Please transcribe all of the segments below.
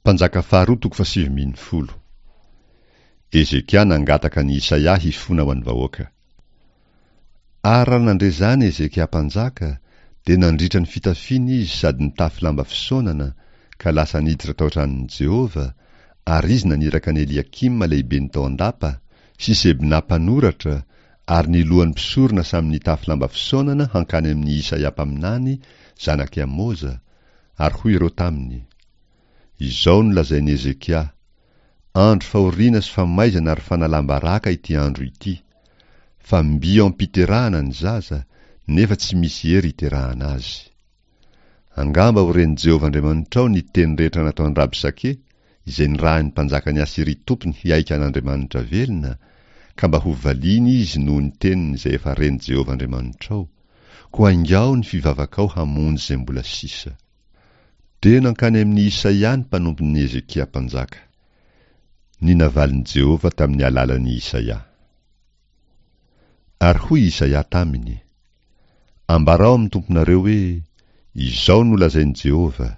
Mpanjaka faharoa toko fahasivy ambin'ny folo. Hezekia nangataka an'i Isaia hifona ho an'ny vahoaka. Ary raha nandre izany Hezekia mpanjaka, dia nandritra ny fitafiany izy sady nitafy lamba fisaonana, ka lasa niditra tao an-tranon'i Jehovah, ary izy naniraka an'i Eliakima lehibeny tao an-dapa, sy Sebna mpanoratra, ary ny lohan'ny mpisorona samy nitafy lamba fisaonana hankany amin'i Isaia mpaminany, zanak'i Amoza, ary hoy ireo taminy, Izao no lazain'i Hezekia, Andro fahoriana sy famaizana ary fanalam-baraka ity andro ity, fa mby eo am-piterahana ny zaza, nefa tsy misy hery hiterahana azy. Angamba ho ren'i Jehovah Andriamanitrao ny teny rehetra nataon-dRabsake, izay nirahin'ny mpanjakan'i Asyria tompony hihaika an'Andriamanitra velona, ka mba hovaliany izy noho ny teniny izay efa ren'i Jehovah Andriamanitrao. Koa aingao ny fivavakao hamonjy izay mbola sisa. Dia nankany amin'i Isaia ny mpanompon'i Hezekia mpanjaka. Ny navalin'i Jehovah tamin'ny alalan'i Isaia. Ary hoy Isaia taminy, Ambarao amin'ny tomponareo hoe, 'Izao no lazain'i Jehovah,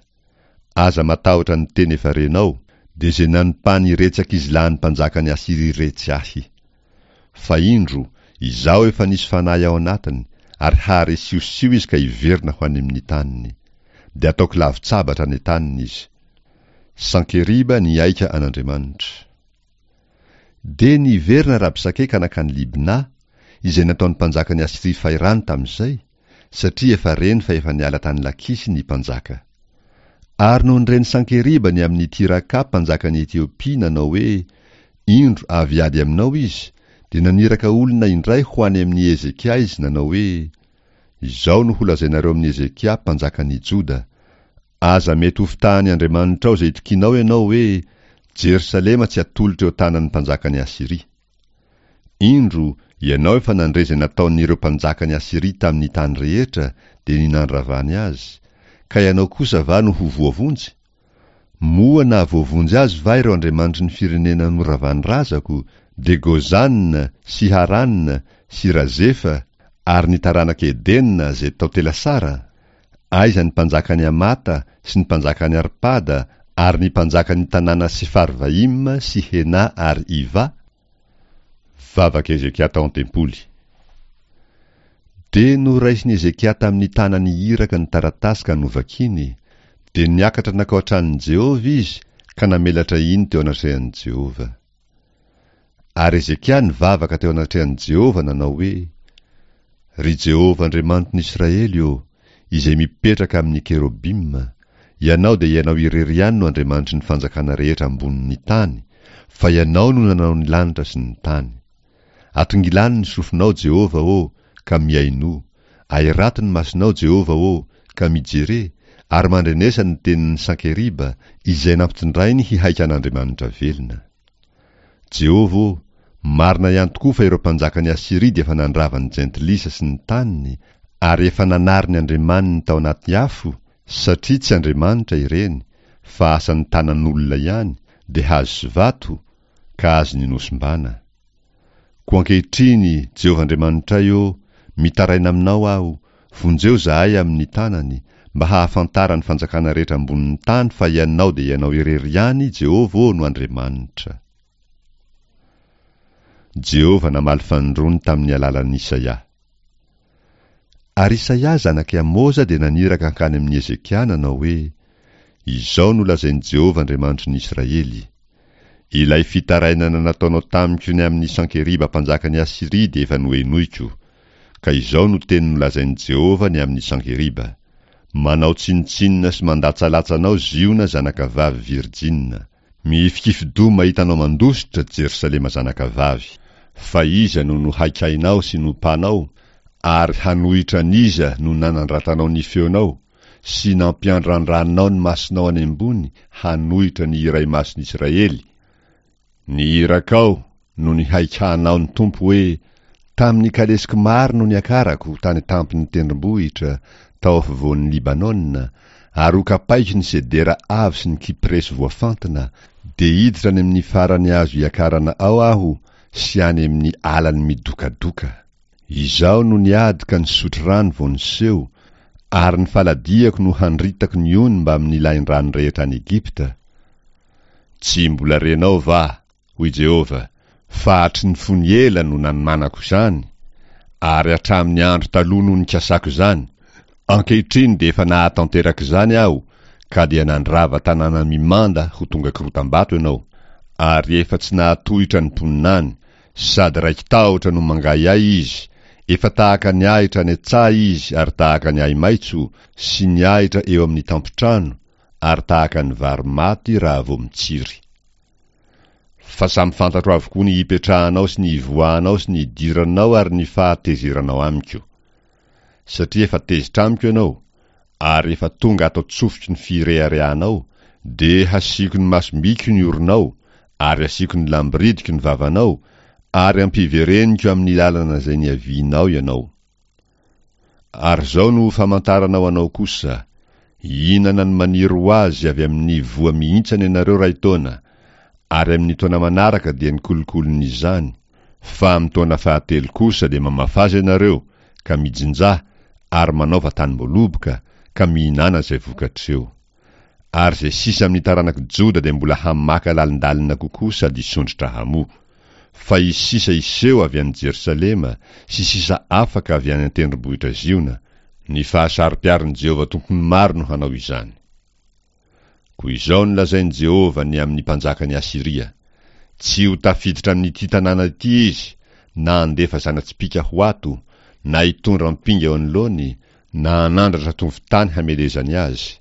Aza matahotra ny teny efa renao, dia izay nanompan'iretsy ankizilahin'ny mpanjakan'i Asyria iretsy ahy. Fa indro, izaho efa nisy fanahy ao anatiny, ary hahare siosio izy ka hiverina ho any amin'ny taniny. Dia ataoko lavon-tsabatra any an-taniny izy. Sankeriba nihaika an'Andriamanitra. Dia niverina Rabsake ka nankany Libna, izay nataon'ny mpanjakan'i Asyria fahirano tamin'izay, satria efa reny fa efa niala tany Lakisy ny mpanjaka. Ary nony ren'i Sankeriba ny amin'i Tiraka mpanjakan'i Etiopia nanao hoe, Indro avy hiady aminao izy, dia naniraka olona indray ho any amin'i Hezekia izy nanao hoe, Izao no holazainareo amin'i Hezekia mpanjakan'i Joda, Aza mety hofitahan'ny andriamanitrao izay itokianao ianao hoe, Jerosalema tsy hatolotra eo an-tanan'ny mpanjakan'i Asyria. Indro, ianao efa nandre izay nataon'ireo mpanjakan'i Asyria tamin'ny tany rehetra, dia ny nandravany azy, ka ianao kosa va no ho voavonjy? Moa nahavoavonjy azy va ireo andriamanitry ny firenena noravan'ny razako, dia Gozana sy Harana sy Razefa ary ny taranak'i Edena izay tao Telasara? Aiza ny mpanjakan'i Hamata sy ny mpanjakan'i Arpada ary ny mpanjakan'ny tanàna Sefarvaima sy Hena ary Iva? Vavak'i Hezekia tao an-tempoly. Dia noraisin'i Hezekia tamin'ny tanany iraka ny taratasy ka novakiny, dia niakatra nankao an-tranon'i Jehovah izy ka namelatra iny teo anatrehan'i Jehovah. Ary Hezekia nivavaka teo anatrehan'i Jehovah nanao hoe, Ry Jehovah Andriamanitry ny Israely ô, izay mipetraka amin'ny kerobima, Ianao dia Ianao irery ihany no Andriamanitry ny fanjakana rehetra ambonin'ny tany, fa Ianao no nanao ny lanitra sy ny tany. Atongilano ny sofinao, Jehovah ô, ka mihainoa. Ahirato ny masonao, Jehovah ô, ka mijere, ary mandrenesa ny tenin'i Sankeriba, izay nampitondrainy hihaika an'Andriamanitra velona. Jehovah ô, marina ihany tokoa fa ireo mpanjakan'i Asyria dia efa nandrava ny jentilisa sy ny taniny, ary efa nanary ny andriamaniny tao anaty afo, satria tsy andriamanitra ireny, fa asan'ny tanan'olona ihany, dia hazo sy vato, ka azony nosimbana. Koa ankehitriny, Jehovah Andriamanitray ô, mitaraina aminao aho, vonjeo izahay amin'ny tanany, mba hahafantaran'ny fanjakana rehetra ambonin'ny tany fa Ianao dia Ianao irery ihany, Jehovah ô, no Andriamanitra. Jehovah namaly fanindroany tamin'ny alalan'i Isaia. Ary Isaia zanak'i Amoza dia naniraka hankany amin'i Hezekia nanao hoe, Izao no lazain'i Jehovah Andriamanitry ny Israely, Ilay fitarainana nataonao tamiko ny amin'i Sankeriba mpanjakan'i Asyria dia efa nohenoiko. Ka izao no teny nolazain'i Jehovah ny amin'i Sankeriba, Manao tsinontsinona sy mandatsalatsa anao Ziona zanakavavy virjina. Mihifikifi-doha mahita anao mandositra, Jerosalema zanakavavy. Fa iza no nohaikainao sy nompanao, ary hanohitra an'iza no nanandratanao ny feonao, sy nampiandrandranao ny masonao any ambony hanohitra ny Iray Masin'i Israely? Ny irakao no nihaikahanao ny Tompo hoe, Tamin'ny kalesiko maro no niakarako tany an-tampon'ny tendrombohitra, tao afovoan'i Libanona, ary hokapaiko ny sedera avo sy ny kypresy voafantina, dia hiditra any amin'ny farany azo iakarana ao aho sy any amin'ny alany midokadoka. Izaho no niady ka nisotro rano vao niseho, ary ny faladiako no handritako ny ony mbamin'ny lahin-drano rehetra any Egypta. Tsy mbola renao va, hoy Jehovah, fa hatry ny fony ela no nanomanako izany, ary hatramin'ny andro taloha no nikasako izany? Ankehitriny dia efa nahatanteraka izany Aho, ka dia nandrava tanàna mimanda ho tonga korotam-bato ianao, ary efa tsy nahatohitra ny mponina any, sady raiki-tahotra no mangahiahy izy, efa tahaka ny ahitra any an-tsaha izy ary tahaka ny ahi-maitso sy ny ahitra eo amin'ny tampon-trano, ary tahaka ny vary maty raha vao mitsiry. Fa samy fantatro avokoa ny hipetrahanao sy ny hivoahanao sy ny hidiranao ary ny fahatezeranao amiko. Satria efa tezitra amiko ianao, ary efa tonga ato an-tsofiko ny fireharehanao, dia hasiako ny masom-biko ny oronao, ary hasiako ny lamboridiko ny vavanao, ary ampivereniko amin'ny lalana izay niavianao ianao. Ary izao no ho famantarana ho anao kosa, hihinana ny maniry ho azy avy amin'ny voa mihintsana ianareo iray taona, ary amin'ny taona manaraka dia ny kolokolon'izany, fa amin'ny taona fahatelo kosa dia mamafaza ianareo, ka mijinjà, ary manaova tanim-boaloboka, ka mihinàna izay vokatr'eo. Ary izay sisa amin'ny taranak'i Joda dia mbola hamaka lalindalina kokoa sady hisondrotra hamoa. Fa hisy sisa hiseho avy any Jerosalema sy sisa afaka avy any an-tendrombohitra Ziona, ny fahasaro-piaron'i Jehovah Tompon'ny maro no hanao izany. Koa izao no lazain'i Jehovah ny amin'ny mpanjakan'i Asyria, Tsy ho tafiditra amin'ity tanàna ity izy, na handefa zana-tsipìka ho ato, na hitondra ampinga eo anoloany, na hanandratra tovon-tany hamelezany azy.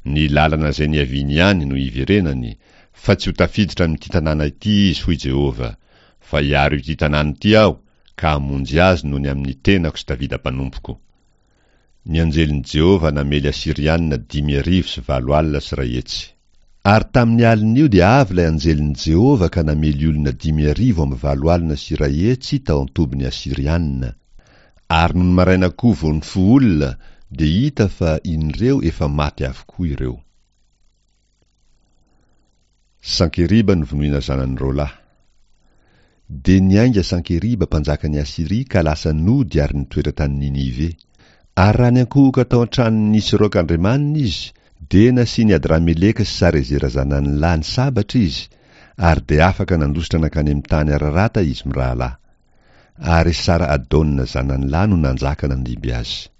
Ny lalana izay niaviany ihany no hiverenany, fa tsy ho tafiditra amin'ity tanàna ity izy, hoy Jehovah, fa hiaro ity tanàna ity Aho, ka hamonjy azy noho ny amin'ny tenako sy Davida mpanompoko. Ny anjelin'i Jehovah namely Asyrianina 1850. Ary tamin'ny alin'io dia avy ilay anjelin'i Jehovah ka namely olona 118 tao an-tobin'ny Asyrianina. Ary nony maraina koa vao nifoha olona dia hita fa inreo efa maty avokoa ireo. Sankeriba novonoina zanany roalahy. Dia niainga Sankeriba mpanjakan'i Asyria ka lasa nody ary nitoetra tany Ninive. Ary raha niankohoka tao an-tranon'i Nisroka andriamaniny izy, dia nasian'i Adrameleka sy Sarezera zanany lahy ny sabatra izy, ary dia afaka nandositra nankany amin'ny tany Ararata izy mirahalahy. Ary Esara-adona zanany lahy no nanjaka nandimby azy.